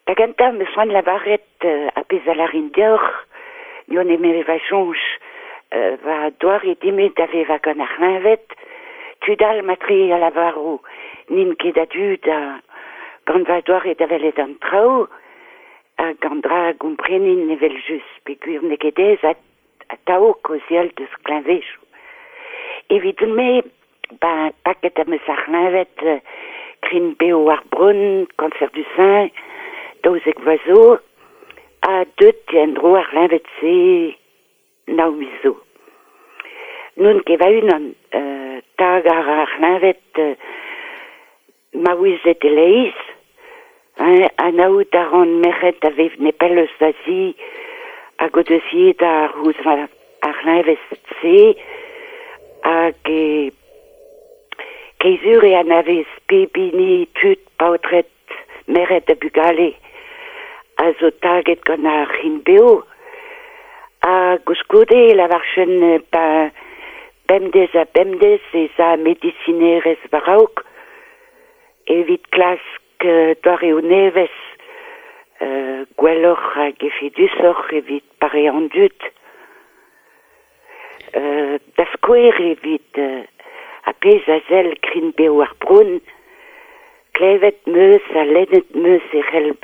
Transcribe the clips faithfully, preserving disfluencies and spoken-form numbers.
Da gentañ 'm eus c'hoant lavaret euh, ar pezh a lârin deoc'h, n'eo nemet va soñj, euh, va doare din-me da vevañ gant ar c'hleñved, tud all matre a lavaro n'int ket a-du da gant va doare da welet an traoù, hag an dra a gomprenin evel-just peogwir n'eo ket aes atav kaozeal deus kleñvedoù. Evidon-me, ben, paket am eus ar c'hleñved euh, krign-bev ar bronn, cancer du sein, daouzek vloaz zo, ha deut eo en-dro ar c'hleñved-se nav miz zo. N'on ket va-unan, euh, tag ar ar c'hleñved euh, maouezed e-leizh, hein, anaout a ran merc'hed a vev nepell eus va zi hag o deus ivez da c'houzout ar c'hleñved-se hag e keizur e anavez pep hini tud paotred merc'hed ha bugale a zo taget gant ar c'hrign-bev ha koulskoude e lavarfen ba bemdez ha bemdez ez a medisinerezh war-raok evit klask doareoù nevez euh, gwelloc'h hag efedusoc'h evit pareañ an dud. Euh, da skouer evit euh, ar pezh a sell krign-bev ar bronn, klevet 'm eus ha lennet 'm eus e c'hell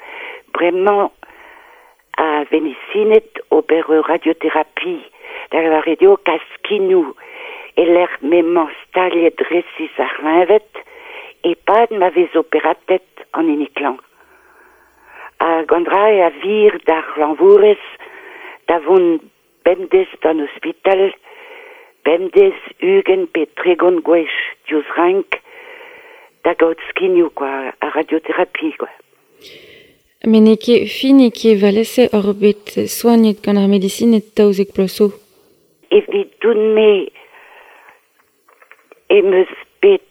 bremañ ar vedisined ober ur radioterapi da lavaret eo kas skinoù e-lec'h m'emañ staliet resis ar c'hleñved e-pad ma vez operatet an hini klañv. Hag an dra a vir d'ar c'hlañvourez da vont bemdez d'an ospital, bemdez ugent pe tregont gwech diouzh renk da gaout skinoù kwa, ar radioterapi kwa. Met n'eo ket fin eo ket evel-se oc'h bet soagnet gant ar medisined daouzek bloaz zo. Evidon-me em eus bet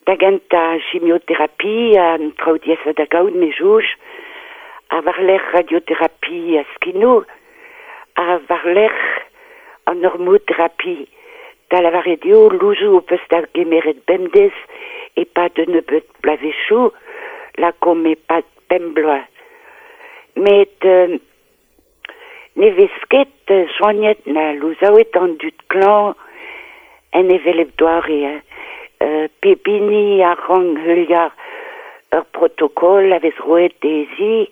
da gentañ chimioterapi an traoù diaesañ da gaout me soñj, ha war-lerc'h radioterapi ha skinoù, ha war-lerc'h an hormoterapi da lavaret eo louzoù ho peus da gemeret bemdez e-pad un nebeud bloavezhioù, lakaomp e-pad pemp bloaz. Met euh, ne vez ket soagnet na louzaouet an dud klañv en hevelep doare, hein. Euh, pep hini a rank heuliañ ur protokol a vez roet dezhi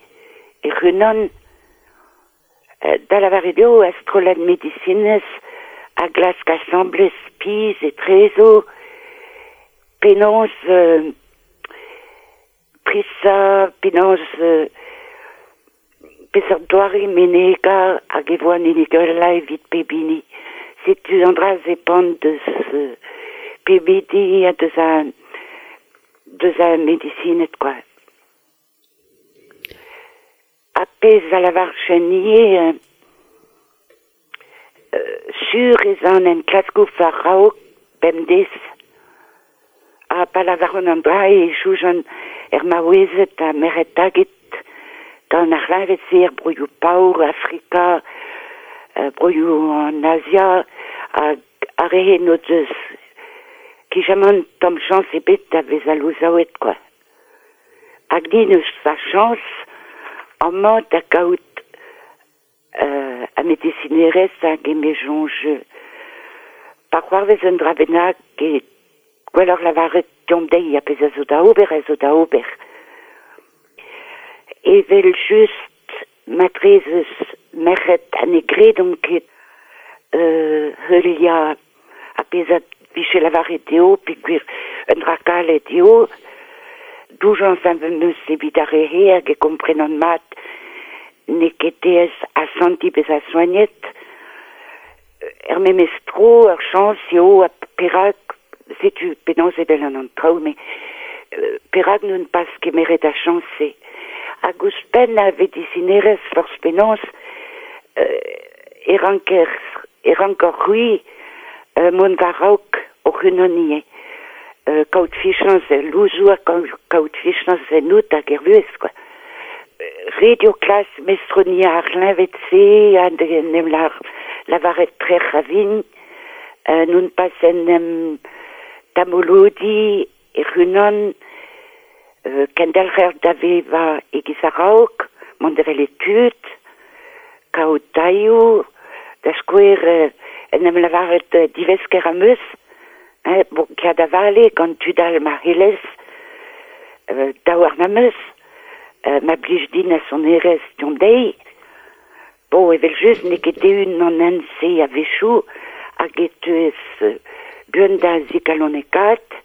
e-unan. Euh, da lavaret eo ar strollad medisinez a glask asambles pizh etrezo penaos euh, prizañ, penaos euh, peseurt doare menegañ hag e vo an hini gwellañ evit pep hini. Setu an dra zepant deus euh, pep hini ha deus ar deus ar medisined kwa. Ar pezh a lavarfen ivez euh, sur ez an enklaskoù war-raok bemdez. Ha pa lavaran an dra e soñjan er maouezed ha merc'hed taget gant ar c'hleñved-se er broioù paour, Afrika, euh, broioù an Azia hag ar re n'o deus kijamant tamm chañs ebet da vezañ louzaouet kwa. Hag din eus va chañs amañ da gaout euh, ar medisinerezh hag eme soñj pa c'hoarvez un dra bennak e gwelloc'h lavaret deomp dezhi ar pezh a zo da ober a zo da ober. Evel just matre ez eus merc'hed ha ne gredont ket euh, heuliañ ar pezh a vije lavaret dezho peogwir un dra kalet eo, doujañs am eus evit ar re-se hag e komprenan mat n'eo ket aes asantiñ bezañ soagnet. Er memes tro ur chañs eo ha perak setu penaos evel an an traoù met euh, perak n'on pas kemeret ar chañs-se. Hag ouzhpenn ar vedisinerezh forzh penaos euh, e ranker e rankoc'h c'hwi euh, mont war-raok hoc'h-unan ivez. Euh, kaout fichañs el louzoù ha kaout fichañs ennout hag er vuhez kwa. Ret eo klask mestroniañ ar c'hleñved-se ha en em lavaret trec'h a vin, euh, non pas en em damolodiñ hec'h-unan, Euh, kendelc'her da vevañ e-giz a-raok, mont da welet tud, kaout tailhoù, da skouer euh, en em lavaret euh, divesker am eus, hein, bon, kea da vale gant tud all ma c'hellez, euh, daouarn am eus, euh, ma blij din a sonerezh deomp dezhi. Bon, evel-just n'eo ket eeun an hent-se a-wechoù, hag e teuez euh, buan da zigalonekaat,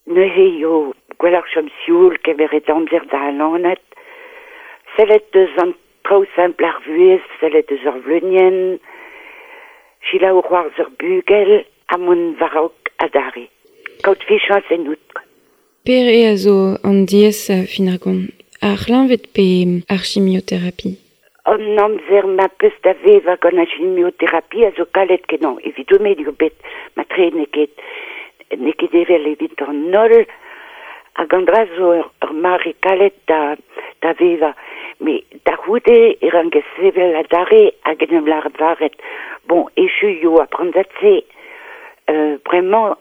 neuze eo gwelloc'h chom sioul kemeret amzer da alanat, sellet deus an traoù simpl ar vuhez, sellet deus ur vleunienn, selaou c'hoarzh ur bugel, ha mont war-raok adarre. Kaout fiziañs ennout. Pere a zo an diaesañ fin ar gont, ar c'hleñved pe ar chimioterapi? An amzer ma peus da vevañ gant ar chimioterapi a zo kalet kenañ. Evidon-me eo bet matre n'eo ket n'eo ket evel evit an holl, hag an dra zo ur, ur mare kalet da, da vevañ. Met da c'houde e rankez sevel adarre hag en em lavaret. Bon, echu eo ar prantad-se. Euh, bremañ,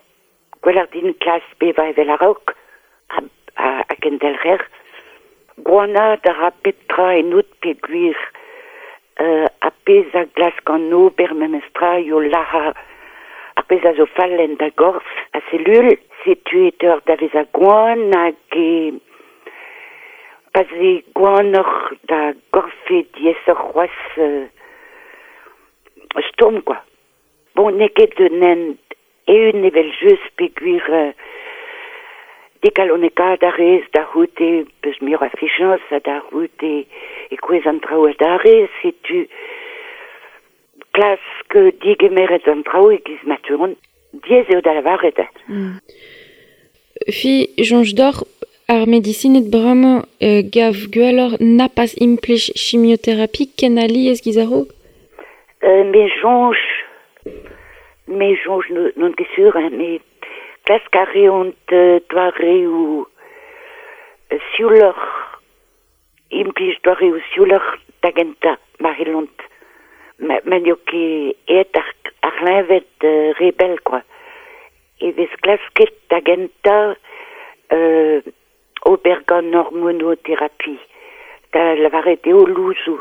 gwelloc'h din klask bevañ evel a-raok, ha, ha, ha kendelc'her. Gwanaat a ra pep tra ennout peogwir euh, ar pezh a glask an ober memestra eo lazhañ ar pezh a zo fall en da gorf a selul, setu e teuer da vezañ gwan hag e pa 'z eo gwanoc'h da gorf eo diaesoc'h c'hoazh euh, stourm quoi. Bon, n'eo ket un hent eeun evel-just peogwir euh, digalonekaat a rez da c'houde peus muioc'h a fiziañs ha da c'houde e kouezh an traoù adarre, setu klask digemeret an traoù e-giz ma teuont. Diaes eo da lavaret. Mm. Fi soñj deoc'h ar medisined bremañ euh, gav gwelloc'h na pas implij chimioterapi ken alies giz a-raok? Euh, me soñj, me soñj n'on ket sur, hein, met klask a reont euh, doareoù euh, siouloc'h, implij doareoù siouloc'h da gentañ, ma c'hellont. Ma, ma n'eo ket aet ar, ar c'hleñved euh, re bell, quoi. E vez klasket da gentañ euh, ober gant hormonoterapi, da lavaret eo louzoù.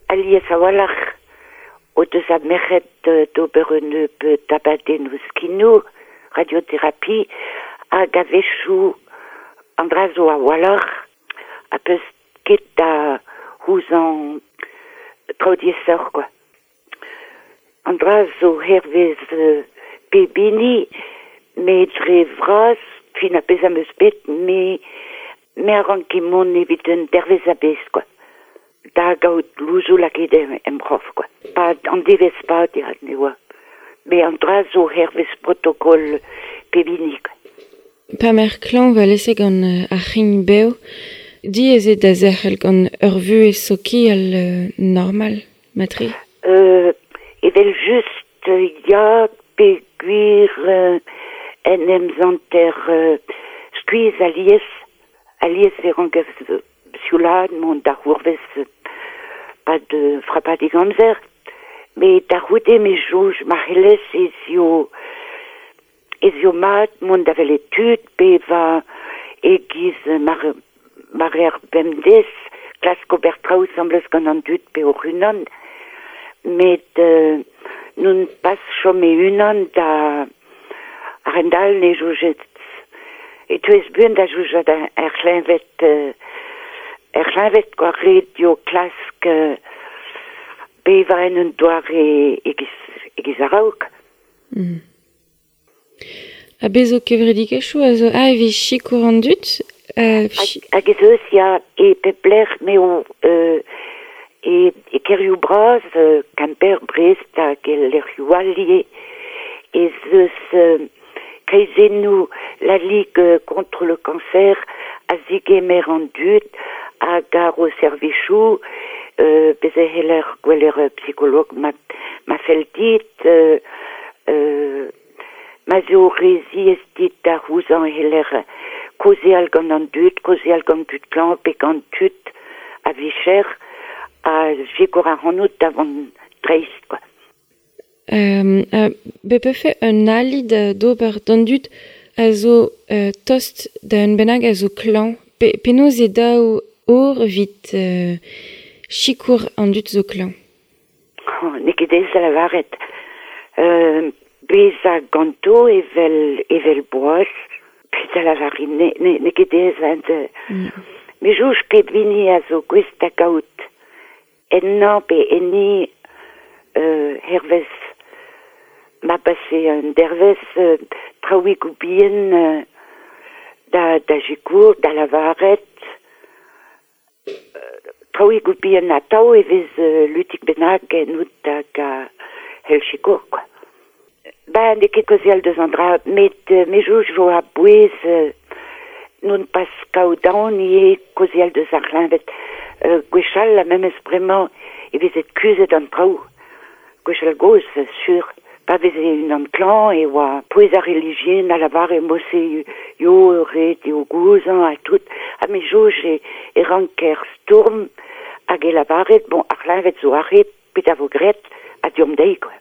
Alies a-walc'h o deus ar merc'hed euh, d'ober un nebeud abadennoù skinoù, radioterapi, hag a-wechoù an dra zo a-walc'h, ha peus ket da c'houzañv traoù diaesoc'h, quoi. An dra zo hervez euh, pep hini, met dre vras, fin ar pezh am eus bet, me, me a ranke mont evit un dervezh a-bezh, quoi. Da gaout louzoù lakaet em, em c'horf, quoi. Pa an devezh pad ya, ne oa. Met an dra zo hervez protokol pep hini, quoi. Pa m'er klañv alese gant euh, ar c'hrign-bev, diaes eo da zerc'hel gant ur vuhez sokial euh, normal, matre? Euh, evel just euh, ya peogwir euh, en em santer euh, skuizh alies, alies e rankez euh, sioulaat mont da c'hourvez euh, pad euh, frapadig amzer. Met da c'houde me soñj ma c'hellez ez eo ez eo mat mont da welet tud, bevañ e-giz mar, ma reer bemdez, klask ober traoù asambles gant an dud pe hoc'h-unan, met euh, non pas chom e-unan da a-hend-all ne soñjet e teuez buan da soñjal er c'hleñved euh, er c'hleñved quoi, ret eo klask euh, bevañ en un doare e-giz, e-giz a-raok. Mm. Ha bez zo kevredigezhioù a zo a evit sikour an dud euh, Hag, hag ez eus ya e pep lec'h m'eo euh, e, e kêrioù bras, euh, Kemper, Brest hag e lec'hioù all ivez, ez eus euh, kreizennoù la Ligue euh, contre le cancer a zigemer an dud hag a ro servijoù, euh, bez e c'heller gwelet ur psikolog ma, ma fell dit, euh, euh, ma zo re ziaes dit da c'houzañv e c'heller kaozeal gant an dud, kaozeal gant tud klañv pe gant tud a vicher a sikour ac'hanout da vont dreist, quoi. Euh, euh, be pefe un ali da d'ober d'an dud a zo euh, tost da un bennak a zo klañv. Pe, penaos eo dav ober evit euh, sikour an dud zo klañv. Oh, n'eo ket aes da lavaret. Euh, bezañ ganto evel, evel boaz, petra lavarin, ne, ne, n'eo ket aes ent, Mm. Me soñj pep hini a zo gouest da gaout ennañ pe enni euh, hervez ma pase un dervezh euh, traoùigoù bihan euh, da, da sikour, da lavaret euh, traoùigoù bihan atav e vez euh, lutik bennak ennout hag a c'hell sikour, quoi. Ben, n'eo ket kaozeal deus an dra, met euh, me soñj zo a-bouez euh, non pas kaout aon ivez kaozeal deus ar c'hleñved. Euh, gwechall, ha memes bremañ e vezet kuzhet an traoù. Gwechall gozh, sur. Pa veze unan klañv e oa pouez ar relijion a lavare mod-se yo ret eo gouzañv ha tout. Ha me soñj e, e ranker stourm hag e lavaret, bon, ar c'hleñved zo aze, petra vo graet, ha deomp dezhi, quoi.